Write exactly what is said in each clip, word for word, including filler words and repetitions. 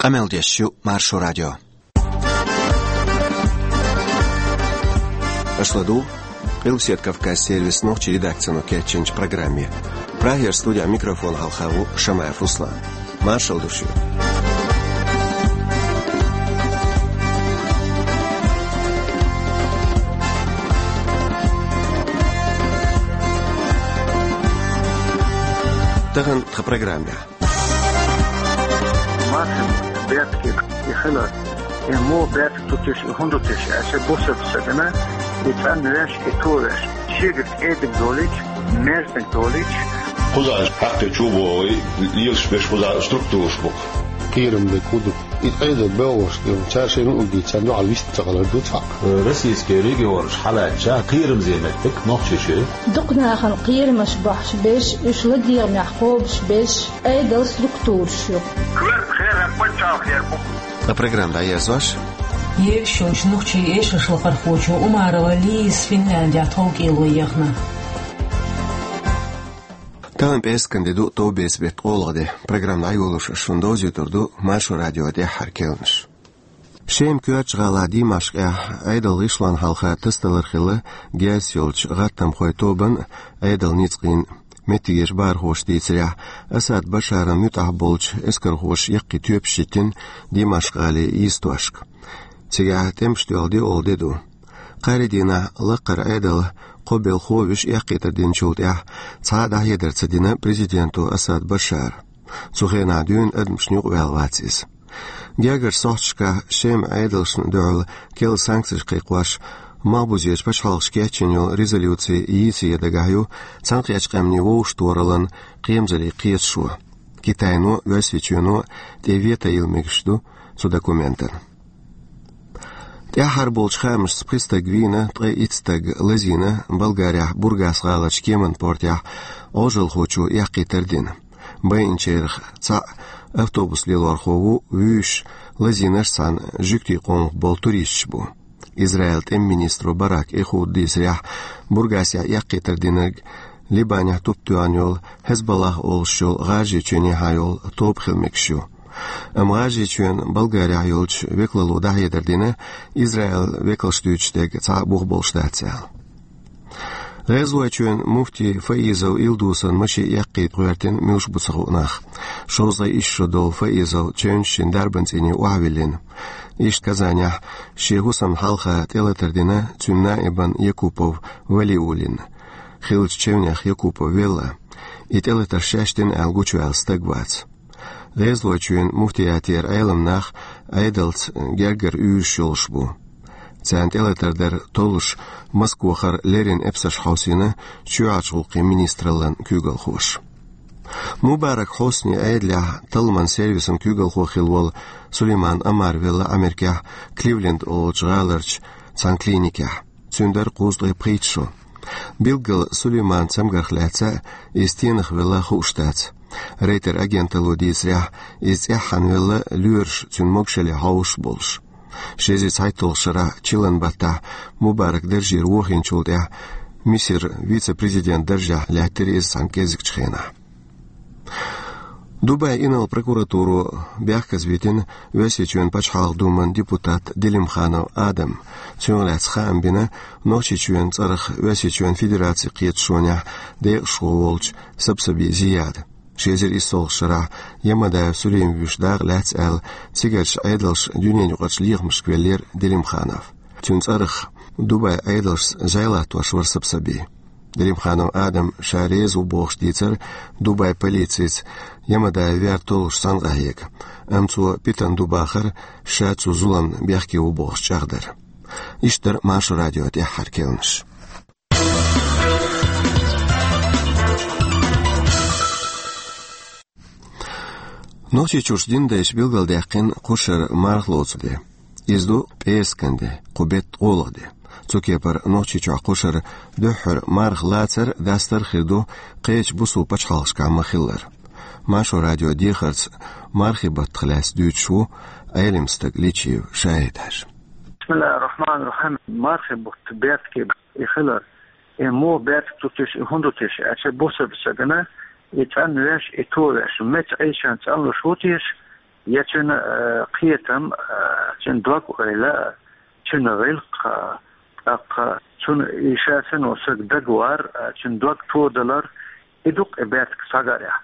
Къамел деш ю Маршо радио. Аша ладугӀу Къилбаседа Кавказ сервисан нохчийн редакцино кечйинчу программе. Прагера студехь микрофон хьалха ву Шамаев Руслан. Маршалла ду шуьга. Тахана тхан программехь. Мархин бертке и хилар, и мо берт тутиш, и хӀунда тиш, аша бусар сагана, и цӀан веш, и то веш. Шегар эдик долич, мерзник долич. Кхузахь хьакхи чу богӀий, лелаш беш кхузахь структураш бу-кх. Кхерам дерг хӀун ду? И Ӏедал бевлларш дерг, цара шайна угдий, царна дуьхьал вист ца хилар ду цхьаъ. Российский регионаш хьалаьцча, кхерамзе меттиг нохчий шу. Дукха нахана кхерамаш бохьуш беш, уьш ладегӀамехь кхобуш беш, Ӏедал структураш ю. Херам паччахь хер бу. Ткъа программа дӀаерзош. Егаш йолчу нохчийн эшаршлакхархочо Умарова Лизас Финляндехь тховкӀело ехна. Тахана пӀераскан де ду, товбеца беттан ткъолгӀа де. Программа дӀайолош аш шуна довзуьйтур ду Маршо радион тӀаьххьара керланаш. Шеман коьртачу гӀалахь Димашкъехь Ӏедалан гӀишлонна хьалха тасадалар хилла герз йолчу гӀаттамхойн тобанна а, Ӏедалан ницкъийн а. Меттигерчу бахархоша дийцарехь, Асад Башарна муьтӀахь болчу эскархоша яккхий тоьпаш йиттина Димашкъ-гӀалин йистошка. Цигахь тӀемаш доьлху доьалгӀа де ду. Кхаарин дийнахь лаккхара Ӏедал кхо белхо а вуьш эккхийтар динчул тӀаьхьа цхьа а дӀахьедар ца дина президенто Асад Башара. Цу хенахь дуьйна адамашна юкъаваьлла вац иза. Гергарчу сохьташкахь Шеман Ӏедалшна дуьхьал керла санкцеш кхайкхош, малхбузерчу пачхьалкхаша кечйина йолу резолюци йийца ян дагахь ю Цхьаьнакхеттачу Къаьмнийн Вовшахтохараллин кхерамзаллин кхеташо. Китайно а, Оьрсийчоьно а тӀе вето йилла мегаш ду цу документана. ТӀаьххьара болчу хаамашца пхи стаг вийна, ткъе итт стаг лазийна Болгарехь Бургас-гӀаларчу кеманан портехь Ӏожалхочо эккхийтар дина. Байинчарах цхьаъ автобус лелорхо ву, вуьйш лазийнарш цхьана жуьгтийн къомах болу туристаш бу. Израилан тӀеман министро Барак Эхуда дийцарехь, Бургасехь эккхийтар динарг Либанехь туп тоьхна йолу Хезболлах олуш йолу ГӀажарийчоьнехьа йолу тоба хила мегаш ю. Амма ГӀажарийчоьнан Болгарехь йолчу векалло дӀахьедар дина, Израилан векалш дуьйцуш дерг цхьа а бух болуш дац аьлла. ГӀезалойчоьнан муфти Фаизов Илдусан машен эккхийта гӀоьртина муьлш бу ца хууш нах. Шовзткъе исс шо долу Фаизов чевнаш шина дарбан цӀийне охьавиллина. Иштта Казанехь шен хӀусамна хьалха тӀелатар дина цуьнан наибан Якупов Валиуллина. Хиллачу чевнех Якупов велла. И тӀелатар шаьш дина аьлла гучуваьлла стаг вац. ГӀезалойчоьнан муфтиятера Ӏеламнах Ӏедалца гергара уьйраш йолуш бу. Царна тӀелатар дар толлуш Москвахара леррина эпсарш хьовсийна чоьхьарчу гӀуллакхийн министраллин куьйгалхоша. Мубарак Хьусни Ӏедалехь талламан сервисан куьйгалхо хилла волу Сулейман Омар велла Америкехь Кливленд олучу гӀаларчу цхьана клиникехь. Цуьнан дара кхузткъе пхийтта шо. Билггал Сулейманан цамгарх лаьцна иза стенах велла хууш дац. Рейтер агенталло дийцарехь, иза цӀеххьана велла лоьраша цуьнан могушалле хьовсуш болуш. Ши эзар цхьайтталгӀачу шарахь чиллан баттахь Мубарак даржера вохийначул тӀаьхьа Мисар вице-президент даржехь лаьттира иза цхьана кӀезигчу хенахь. Дубайн инарла прокуратуро бехказа витина Оьрсийчоьнан Пачхьалкхан Думан депутат Делимханов Адам. Цунах лаьцна хаам бина Нохчийчоьнан цӀарах Оьрсийчоьнан Федерацин кхеташонехь декъашхо волчу Сабсаби Зияда. Ши эзар иссалгӀачу шарахь Ямадаев Сулим вуьйш дакъа лаьцна аьлла, цигарчу Ӏедалша дуьненаюкъарчу лехамашка веллера Делимханов. Цуьнан цӀарах Дубайн Ӏедалшца зӀе латтош вара Сабсаби. Делимханов Адам ша реза ву бохуш дийцара Дубайн полицица Ямадаев вер толлуш цхьаьна къахьега. Амма цо питана ду бахара ша цу зуламна бехке ву бохуш чӀагӀдар. Иштта дара Маршо радион тӀаьххьара керланаш. Нохчийчуьрчу динан дайша билгалдаьккхина кху шарахь марха лоцу де. Иза ду пӀераскан де, кху беттан ткъолгӀа де. Цу кепара Нохчийчохь кху шарахь дуьххьара марха лацар, дастар а хир ду кхечу бусалба пачхьалкхашкахь ма-хиллара. Маршо радион дехарца мархийн баттах лаьцна дуьйцуш ву Ӏелам стаг Личиев Шахьид-Хьаьжа. Бисмиллахир-рахманир-рахим. Мархийн бутт бертке и хилар. И муха бертка ду теша, и хӀунда ду теша аьлча, бусалба стагана и цӀанвеш, и товеш, меца Ӏийшан цӀанлуш ву теша, Я цуьнан, э, кхетам, э, цуьнан дог-ойла, цуьнан гӀиллакх, э, тӀаккха цунна и ша санна волу стаг дагавар, э, цуьнан дог тодалар, и ду-кх и бертан схьагарехь.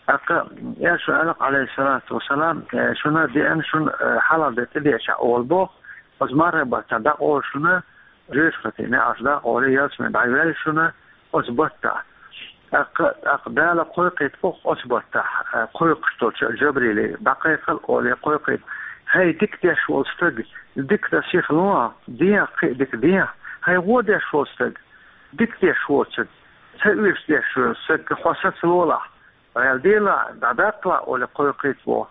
ТӀаккха, э, шуна аьлла-кх, Ӏалайхиссалату вассалам, э, шуна деана, шуна, э, хьалха де тӀедеачахь олу боху, оцу мархин баттахь дӀакъовла шуна, жоьжахатин неӀарш дӀакъовла, ялсамане дӀайоьлла шуна оцу баттахь. ТӀаккха, тӀаккха Дала кхойкхийта боху оцу баттахь, э, кхойкхуш долчу Жабриле, дӀакхайкхал олий кхойкхийта. ХӀай дика деш волу стаг, дика дан сиха лохьа, дехьа кхин а дика дехьа. ХӀай вон деш волу стаг, дика деш воцург, ца оьшуш деш волу стаг, хьо саца лолахь, гӀелделахь, дӀадаккхалахь олий кхойкхийта боху.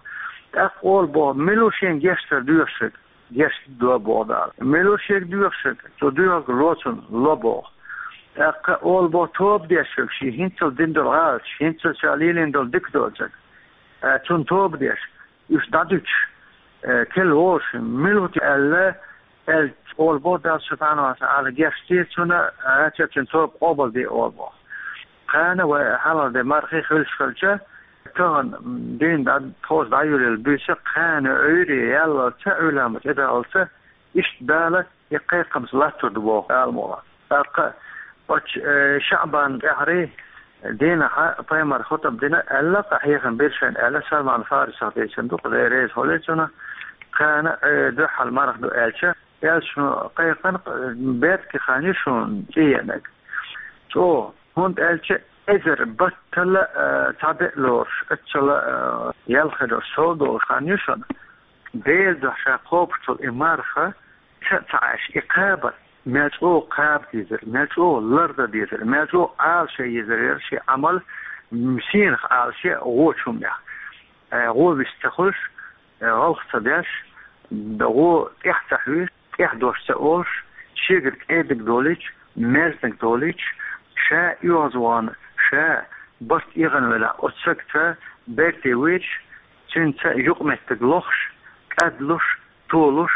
ТӀаккха олу боху, мила ву шен гечдар доьхург, гечдо боху Дала. Мила ву шега доьхург, цо доьхург ло цунна, ло боху. ТӀаккха олу боху, тоба дешверг, шен хӀинццалц дина долу гӀалаташ, хӀинццалц ша лелийна долу дика доцург, э, цунна тоба деш, уьш дӀадуьтуш, э, кел волуш, мила ву те аьлла, аьлла, олу боху Дала субхьанаху ва таӀала, гечде цунна, э, цуьнан тоба къобалде олу боху. Кхана вай хьалха де мархий хуьлуш хилча, тахана, м, дийна дӀа, тхоша дӀайолаелла буьйса кхана Ӏуьйре яллалца, Ӏуьйламаца тӀедаллалца, иштта Дала и кхайкхамца латтор ду боху Дала мукъ лахь. ТӀаккха оцу, э, ШаӀбан тӀаьхьарий дийнахьа пайхамар хутӀба дина аьлла, къа хьехам бира шайна аьлла, Салман Фарисах дийцина ду, Дела реза хуьлийла цунна, кхана, э, дуьххьал марха ду аьлча, аьлла шуна кхайкхина, э, бертан хан ю шуна цӀе еанарг. ЧӀогӀа, хӀунда аьлча эзар баттал, э, цхьаъ бен лоруш, оццул, э, ял хир долуш, сов долуш хан ю шуна. Делан дуьхьа ша кхобуш долу и марха, ца а ца Ӏаш, и кхаба, мел чӀогӀа кхаба дезара, мел чӀогӀа лардан дезара, мел чӀогӀа Ӏалашъян езара яра шен Ӏамал, м, сенах Ӏалашъян а вочу хӀуманех. Э, гӀо вист ца хуьлуш, э, гӀалх ца деш, д-, гӀо тӀаьхьа ца хьоьжуш, тӀаьхьа дош ца олуш, шегара кӀедаг долуьйтуш, мерзаниг долуьйтуш, ша оьгӀаз вахана, ша барт эгӀана велахь, оцу сагца берте вуьйцуш, цуьнца юкъаметтиг лохуш, кӀадлуш, толуш.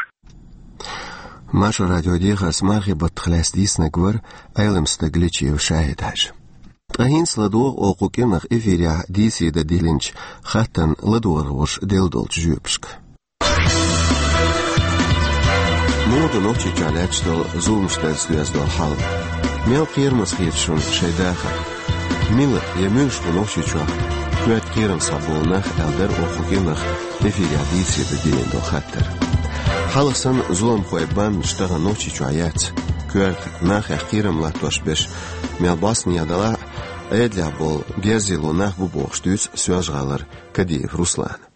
Маршо радион дехарца мархин баттах лаьцна дийцинарг вара Ӏелам стаг Личиев ШахӀид-Хьаьжа. Ткъа хӀинца ладогӀа оха кху кӀиранах эфирехь дийцаре дан диллинчу хаттарна ладогӀархоша делла долчу жоьпашка. Муха ду Нохчийчохь лаьтташ долу зуламаш дарца доьзна долу хьал? Мел кхерамаза хета шуна шайн дахар? Мила я муьлш бу Нохчийчохь коьрта кхерам схьаболу нах, аьлла дара оха кху кӀиранах эфирехь дийцаре дан диллина долу хаттар. Хьалха санна зуламхойн бандаш тахана Нохчийчохь яц. Коьрта нахах кхерам латтош берш мел бӀостанехьа далахь а, Ӏедалехь болу герзало нах бу бохуш дуьйцу Соьлжа-ГӀалара Кадиев Руслана.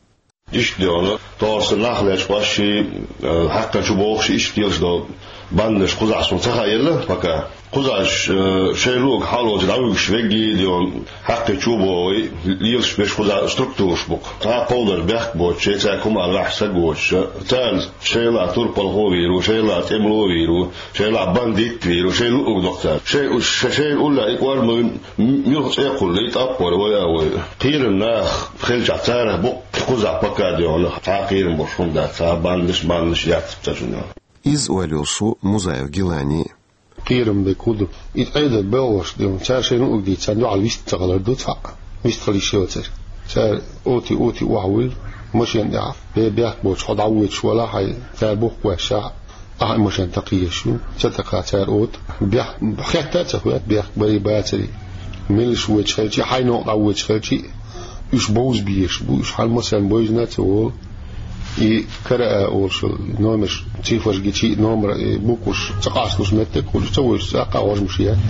Иштта де хьуна, тохара сан нах лечкъош ши, э, хьаькхна чу бохуш, иштта лелаш долу бандаш кхузахь суна ца хаъелла пока. Кхузахь, э, шайн луъург хьалоцу дӀавуьгуш вегги де хьуна, хьаькхна чу боху, лелаш берш кхузахь структураш бу-кх. Цхьа кховдар бехк боцуш, шайн цаьрга хӀума лахьаш саг воцуш, царна шайла турпалхо вийр ву, шайла тӀемало вийр ву, шайла бандит вийр ву, шайн луъург доккху цара. Шайн уш, ша-, шайна уллехь и кӀорма вуьн, м-, муьлха цӀе кхуллу, и тӀапкъор вай а вай. Кхеран нах хилчахь царах бу-кх кхузахь пока де хьуна, цхьа а кхерам болуш хӀума дац, цхьа а бандаш, бандаш яц цхьа чунна. Иза ойла йолуш ву Музаев Гилани. Кхерам бен кху ду. И Ӏедал белхалош де хьуна, цара шайна луъург дийца, царна дуьхьал вист ца хилар ду цхьаъ. Вист хила йиш йоцура. Цара оти-оти охьавуьллу, машен тӀехь, бе-, бехк боцуш хьо дӀавоьдуш валахь, хьайн цара бухкуш ваьшшехь, ахьа машен такхаеш ю, ца такха цара ота. Бехк хетта а ца хоьтту, бехк барий бацарий. Меллаша воьдуш хилчий, хьайн новкъа дӀавоьдуш хилчий, уьш бовза безаш бу, уьш хьан массарна бовзийна а ца волу. И кара а олуш йолу номерш, цифраш гичий, номер, и букваш ца къасталуш меттиг а хуьлуш, ца вуьйцуш цӀаккха а гӀожмаш етта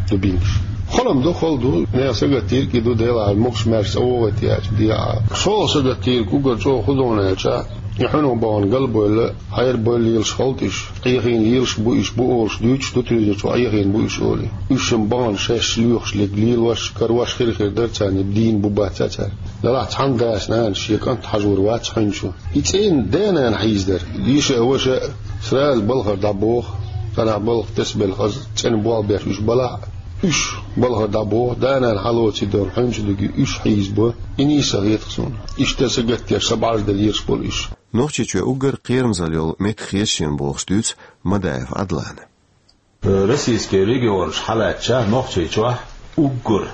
дубинкаш. Хала-м ду, хала ду, нехан сагатдийриг и ду, Делахь, могуш-маьрша цӀа вогӀийта яьлча дехьа. ШолгӀа сагатдийриг уггар чӀогӀа хӀун ду аьлча, и хьуьнах бахана галбевлла, хьерабевлла лелаш хӀаллакдеш, Ӏехийна лелаш бу уьш бу олуш дуьйцуш ду телевизор чохь, Ӏехийна бу уьш олий. Уьш-м бахана шаьш лоьхуш лерг лелош, карош хир-хир дара царна, дийна бу бац цара. Делахь цхьана дас-нанас шен кӀант хьажор вац хьуьнчу. И цӀийнан да-нана хьийзадар. Йиша а, ваша а сразу балхара дӀабоху, цхьанхьа балха тасабелла хаза цӀена болх беш уьш балахь а, уьш балхара дӀабоху, да-нана хьалоций доху хьуьнчу дуьгий уьш хьийзабо. И нийса хета-кх суна. Иштта сагатдеш, са бӀарзделла лелаш болу уьш. Нохчийчоь уггар кхерамзалла йолу меттиг хета шена бохуш дуьйцу Мадаев Ӏадлана. Российский регионаш хьалаьцча, Нохчийчохь уггар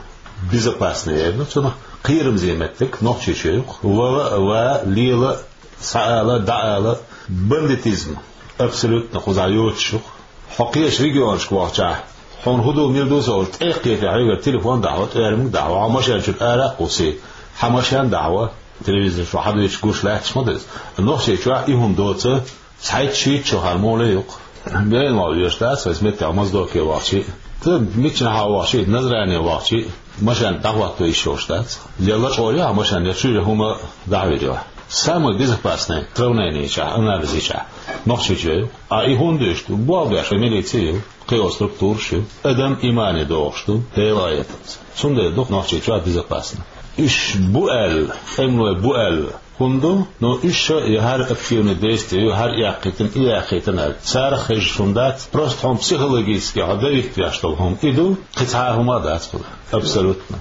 безопасный яра цунах. Кхерамза меттиг Нохчийчоь ю-кх. Вала а, ва а, лела а, схьаала а, дӀаала а, бандитизм абсолютно кхузахь йоцуш ю-кх. Хьо кхечу регионашка вахчахь, хьуна хӀун ду, мила ду ца олуш, тӀе а кхетий, хьоьгара телефон дӀахьо, тӀоьрмиг дӀахьо, хьан машен чуьра ара а кхуссий, хьан машен дӀахьо, телевизор чу хьадуьйцуш гуш лаьтташ ма ду иза. Нохчийчохь и хӀума доцу, цхьайтта-шийтта шо хьан муха ле ю-кх. Бен вахь веш дац, вайс меттехь Моздоке вахчий а, ца миччанхьа вахчий а, Назране вахчий а, машен дӀахӀотто йиш йолуш дац. Я лачкъор ю хьан машен, я чуьра хӀума дӀахьуьйр ю хьан. Самый безопасный сравнени йичахь, анализ йичахь, Нохчийчоь ю. А и хӀунда дуьйш ду? Болх беш милици ю, кхин структураш ю. Адам имане догӀуш ду, Делан аятаца. Цундела ду-кх Нохчийчохь безопасно. Уьш бу аьлла, тӀемалой бу аьлла хӀунда ду, но уьш ша я хӀара активный действие ю, хӀара яьккхийтина, и яьккхийтина аьлла. Царах хезаш хӀума дац, просто хьуна психологически хьо давить веш долу хӀума и ду, кхин цхьа а хӀума а дац кхуза. Абсолютно.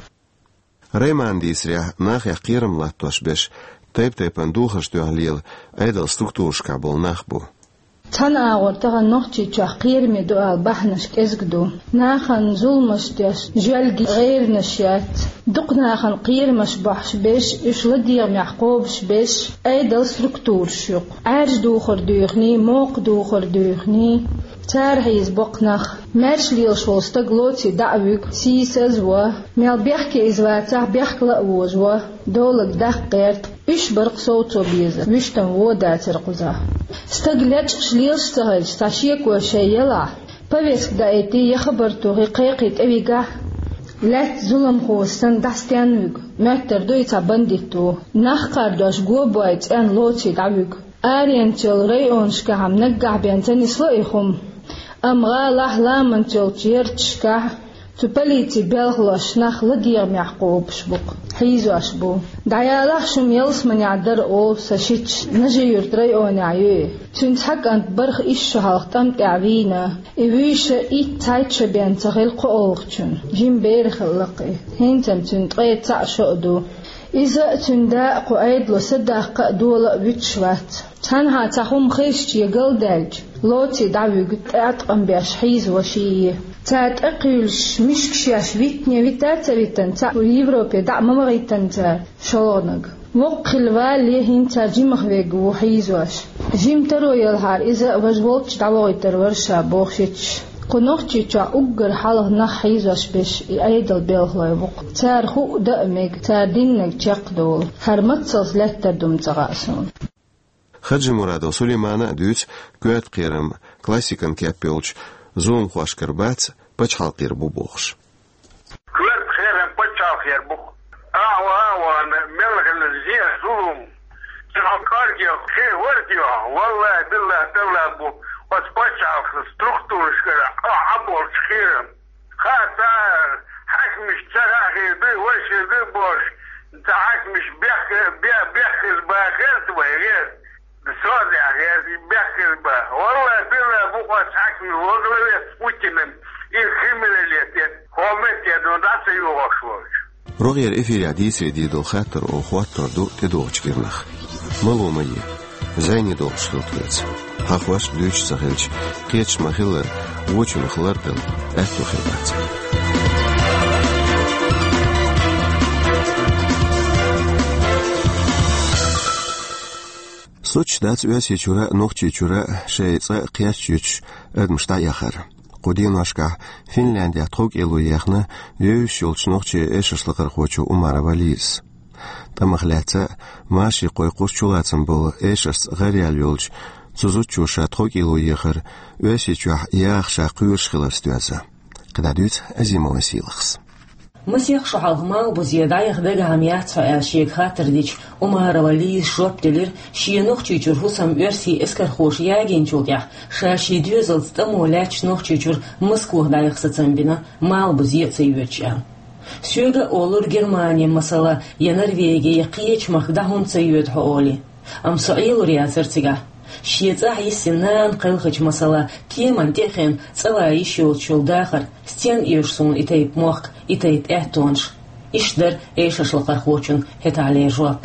Раймана дийцарехь, нахех кхерам латтош берш, тайп-тайпана духарш тоьхна лела Ӏедалан структурашкахь болу нах бу. Цхьана агӀор тахана Нохчийчохь кхераме ду ала бахьанаш кӀезиг ду. Нахана зуламаш деш, жоьлган гӀайранаш яц. Дукха нахана кхерамаш бохьуш берш, уьш ладегӀамехь кхобуш берш Ӏедалан структураш ю-кх. Ӏаьржа духар дуьйхний, мокха духар дуьйхний, цара хьийза боккха нах. Маьрша лелаш волу стаг лоций дӀа а вуьгу, сийсаз а во, мел бехке иза вацахь, бехкала а вожаво, долаг даккха гӀерта. Уьш бара-кх совцо беза, вуьштан вон дацара кхузахь. Стаг лечкъаш лелаш ца хилча, цхьа шеко шайн ялахь, повестка даийтий, я хабар тухий, кхайкхий тӀевигахь, лаьцна зуламхо санна дӀастенна вуьгу, моьттур ду и цхьа бандит ву. Нах кхардош го бой цӀенна лоций дӀавуьгу. Аренца йолу районашкахь-м наггахь бен ца нисло и хӀума, амма гӀалахь, ламанца йолчу ярташкахь цу полицин белхалоша нах ладегӀамехь кхобуш бу-кх, хьийзош бу. ДӀаялахь шу-м ялсаманехь дара олу сан шича, Нажи-Юьртан районехь ю и. Цуьнан цхьа кӀант бархӀ исс шо хьалха тӀам тӀехь вийна. И вуьйша итт-цхьайтта шо бен ца хилла кхоалгӀачунна. Жима бер хилла-кх и. ХӀинца-м цуьнан ткъе цхьаъ шо а ду. Иза а, цуьнан да а кху Ӏедало садаккха а, дола а вуьтуш вац. Цхьанхьа цхьа хӀума хезча я галдаьлча, лоций дӀавуьгу, тӀеӀаткъам беш хьийзаво ший. Цара тӀекхуьйлуш мишкаш еш витине вита а ца витина, цхьаъ Европе дӀа а ма вахийтина цара, шолгӀаниг. Воккха хилла валале, хӀинца жимах верг ву хьийзош. Жима таро ялахьара, иза а важа волчу дӀавохуьйтур вара ша, боху шича. Кху Нохчийчохь уггар хьалха нах хьийзош берш и Ӏедалан белхалой бу-кх. Цара хуу а дан а мега, цара диннарг чекхдолу. ХӀара мацалц лаьттар ду-м ца хаьа суна. Хаджимурадов Сулеймана а дуьйцу коьрта кхерам классикан кеп йолчу зуламхошкара бац, пачхьалкхера бу бохуш. Коьрта кхерам пачхьалкхера бу. Ахьа, ахьа, мел хилла зен, зулам, цхьа кӀорге кхин вара те, валлахӀи, биллахӀи, таллахӀи бу, оцу пачхьалкхан структурашкара а, Ӏа болчу кхерам. Хаа, цара хьаькамаш ца хаа хир ду, вай хир ду бохуш, цхьа хьаькамаш бехк-, бе-, бехказа бан хеза вай, гӀерта. Со а дехьа, гӀерта, бехказа бан. ВаллахӀи, биллахӀи, бу оцу хьаькамийн во главе Путинан и криминалитет, хӀокху меттехь дӀа ца йохуш волчу. РогӀера эфирехь дийцаре дийр долу хаттар оха хӀоттор ду тӀедогӀучу кӀирнах. Мало ма е. ЗӀене долуш хила тхоьца. Хьан хӀош дуьйцуш ца хилча, кхеташ ма-хиллара, вочунах лардала аьтто хир бац. Соцуш дац Оьрсийчуьра а, Нохчийчуьра а шайн цӀа кхерча юьтуш адамаш дӀаэхар. Кху деношкахь Финляндехь тховкӀело ехна вевзаш йолчу нохчийн эшаршлакхархочо Умарова Лизас. ТӀамах лаьцна а, машин кхойкхуш чулацам болу эшаршца гӀараяьлла йолчу цу зудчо ша тховкӀело ехар Оьрсийчохь яха ша кхоьруш хиларца доьзна. КхидӀа дуьйцу Азимова Сийлахьас. Масех шо хьалха Малхбузе дӀаяха дагахь-м яц хьо аьлла шега хаттар дича, Умарова Лизас жоп делира, шен Нохчийчуьра хӀусам оьрсийн эскархоша ягийначул тӀаьхьа ша шен доьзалца тӀамо лаьтташ Нохчийчуьра Москвахь дӀаяха сацам бина, Малхбузе а ца йоьдуш аьлла. Соьга а олура Германе, масала, я Норвеге, я кхечу махка дӀа хӀунда ца йоьду хьо олий. Амма со Ӏелур яцара цигахь. Шен цӀахь йиссина нана кхелхича, масала, кеман тӀе а хиъна, цӀа ван йиш йоцуш йолу дахар, стенна оьшу суна и тайпа мохк, и тайпа аьттонаш. Иштта дара эшаршлакхархочун хӀетахьлера жоп.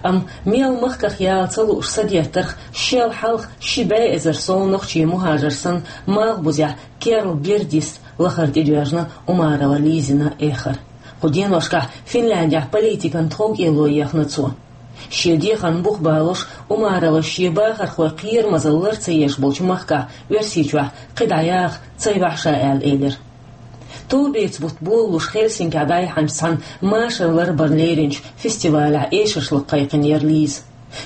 Амма мел махках яла ца лууш садеттарх, шел хьалха ши бӀе эзар сов нохчийн мухӀажар санна, Малхбузехь керла герга йиста лахара тӀедоьжна Умарова Лизина эхар. Кху деношкахь Финляндехь политикан тховкӀело ехна цо. Шен дехарна бух балош, Умаровас шен бахархой кхерамазалла лар ца еш болчу махкахь Оьрсийчохь кхидӀа яха ца йохьу ша аьлла элира. Товбеца бутт болалуш Хельсинкехь дӀаяхьначу цхьана машар ларбарна леринчу фестивалехь эшаршлакха кхайкхинера Лиза.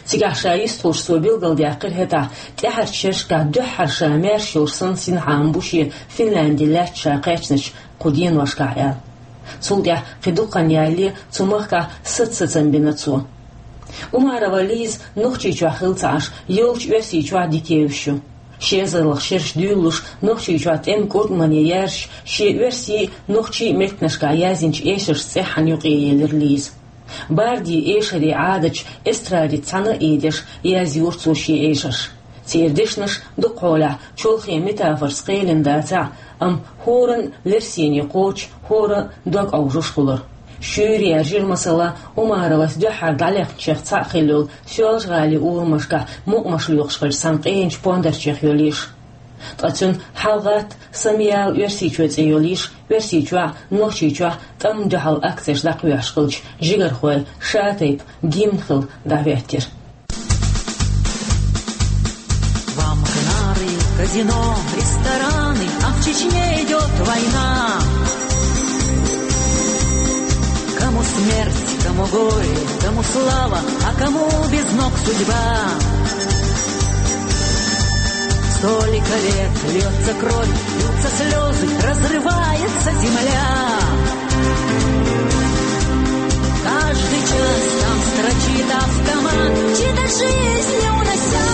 Цигахь ша йистхуьлуш цо билгалдаьккхира хӀетахь, тӀаьхьарчу шерашкахь дуьххьара ша маьрша йолуш санна синхьа ма бу шен Финлянди лаьцна ша кхаьчначу кху деношкахь аьлла. Цул тӀаьхьа кхин дукха хан ялале цу махкахь саца-сацам бина цо. Умарова Лиза Нохчийчохь хилла ца Ӏаш, йолчу Оьрсийчохь дика евзаш ю. Ши эзарлагӀа шераш дуьйлалуш, Нохчийчохь тӀеман кӀуртӀамане яьржаш, шен оьрсийн, нохчийн меттанашкахь яздинчу эшаршца цӀеххьана юкъаелира Лиза. Барди эшарийн Ӏадаташ эстрадица цхьаьна а ийдеш, язйора цо шен эшарш. Церан дешнаш дукха хьолахь чолхе метафорца кхелина дацахь а, амма хӀоранна лерсине кхочуш, хӀора дог Ӏовжуш хуьлура. Шуьйра яьржира, масала, Умаровас дуьххьара дӀалехначех цхьаъ хилла йолу Соьлжа-ГӀалин урамашкахь мукъамаш лоькхуш хиллачу цхьана къеначу пондарчех йолу йиш. Ткъа цуьнан «ХьалагӀатта, самаяла Оьрсийчоь» цӀе йолу йиш Оьрсийчохь, Нохчийчохь тӀамна дуьхьал акцеш дӀакхоьхьуш хиллачу жигархойн шатайпа гимн хилла дӀахӀоьттира. Вам Кнары, казино, рестораны, а в Чечне идёт война. Кому смерть, кому горе, кому слава, а кому без ног судьба. Столько лет льётся кровь, льются слёзы, разрывается земля. Каждый час там строчит автомат, чьи-то жизни унося.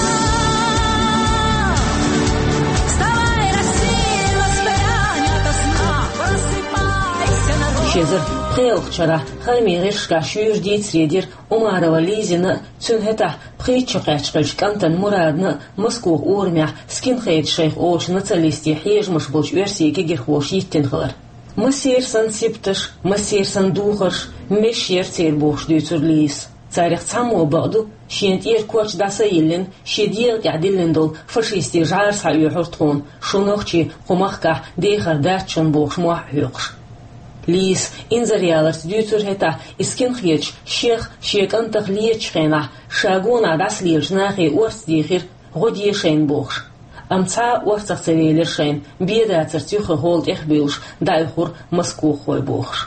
Вставай, Россия, воспрянь ото сна, просыпайся, народ. Ши эзар пхоьалгӀачу шарахь хаамийн гӀирсашкахь шуьйра дийцаре дира Умарова Лизина, цуьнан хӀетахь пхийтта шо кхаьчна хиллачу кӀантана Мурадна Москох урамехь скинхедаш шайх олучу нациналистийн хьежамаш болчу оьрсийн кегийрхоша йиттина хилар. Массеран санна сибаташ, массеран санна духарш, меш яра церан бохуш дуьйцура Лизас. Царах цхьаммо, бакъду, шена тӀера коч дӀаса а йиллина, шен дегӀа тӀехь диллина долу фашистийн жӀара схьаоьхура тхуна, шу нохчий кху махкахь дехар дац шуна бохуш мохь а хьоькхуш. Лизас инзаре яларца дуьйцура хӀетахь, и скинхедаш шех, шен кӀантах лецачу хенахь, ша гонах дӀасалелачу нахе орца дийхира, гӀо де шайна бохуш. Амма цхьа а орцах ца велира шайна, бен дацарца юххе хӀола тӀехбуьйлуш дӀаоьхура москоххой бохуш.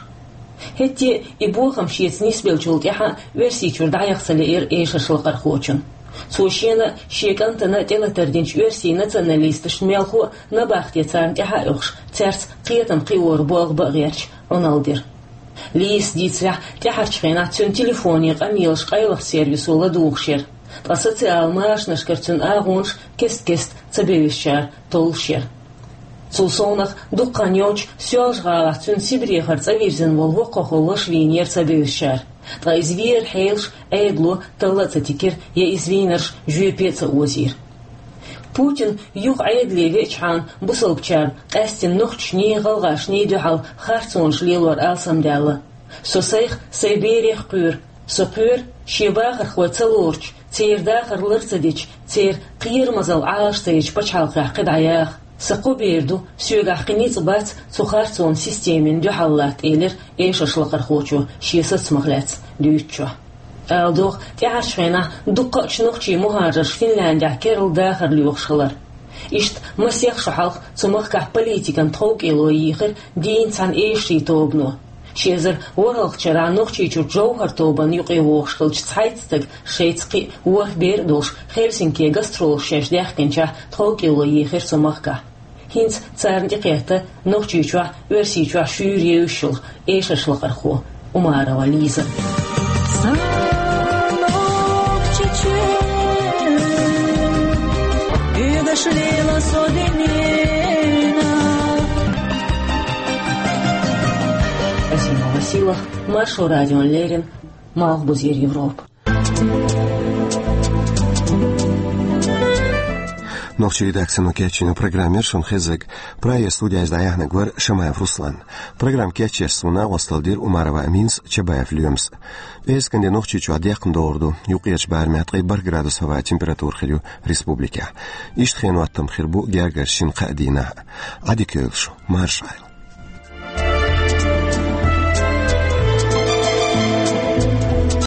ХӀетте а и бохам шеца нисбеллачул тӀаьхьа Оьрсийчуьра дӀаяха ца лиира эшарш лакхархочун. Цо шена а, шен кӀантана а тӀелатар динчу оьрсийн националисташна мелхо а набахте царна тӀаьхьа а оьхуш, цаьрца кхетам кхиоран болх бан а гӀерташ, Ӏуналла дира. Лизас дийцарехь, тӀаьхьарчу хенахь цуьнан телефонийн къамелаш къайлахчу сервисо ладугӀуш яра, ткъа социал машанашкара цуьнан агӀонаш кест-кеста ца бевзачара толлуш яра. Цул совнаха, дукха хан йоццуш Соьлжа-ГӀалахь цуьнан Сибрехара цӀа вирзина волу воккхахо лаш вийнера ца бевзачара, ткъа иза вер хьелаш Ӏедало талла а ца тигира, я иза вийнарш жоьпе а ца озийра. Путин юха Ӏедале веачхьана, бусалбачарна, къаьстина нохчашний, гӀалгӀашний дуьхьал харцонаш лелор алсамдаьлла. Со сайх, сайн берех кхоьру. Со кхоьру шен бахархой ца лоручу, церан дахар лар ца дечу, церан кхерамазалла Ӏалаш ца ечу пачхьалкхехь кхидӀа яха. Сан кхо бер ду, соьгахь кхин ницкъ бац цу харцонан системина дуьхьал латта, элира эшарш лакхархочо шен сацамах лаьцна дуьйцучохь. Ала догӀу, тӀаьхьарчу хенахь дуккхаъчу нохчийн мухӀажарш Финляндехь керла дахар лоьхуш хилар. Иштта масех шо хьалха цу махкахь политикан тховкӀело йийхира дийна цхьана эшарийн тобано. Ши эзар ворхӀалгӀачу шарахь Нохчийчуьра «Жовхар» тобанна юкъе вогӀуш хиллачу цхьайтта стага, шайца кхин а ворхӀ бер а долуш, Хельсинке гастролаш шаьш даьхкинчохь тховкӀело йийхира цу махкахь. ХӀинца царна тӀекхетта Нохчийчохь, Оьрсийчохь шуьйра евзаш йолу эшарш лакхархо Умарова Лиза. Азимова Сила, Маршо радион леррина, Малхбузера Европа. Нохчийн редакцино кечйина программа яра шуна хезнарг. Прагера студехь дӀаяьхьнарг вара Шамаев Руслан. Программа кечъеш суна агӀо дира Умарова Аминас, Чабаев Лоьмас. ПӀераскан де Нохчийчохь декхна догӀур ду юккъерчу барамехь ткъе бархӀ градус хӀаваан температура хир ю республикехь. Иштта хенан хӀоттам хир бу гергарчу шина-кхаа дийнахь. Ӏадика йойла шу, марша Ӏойла.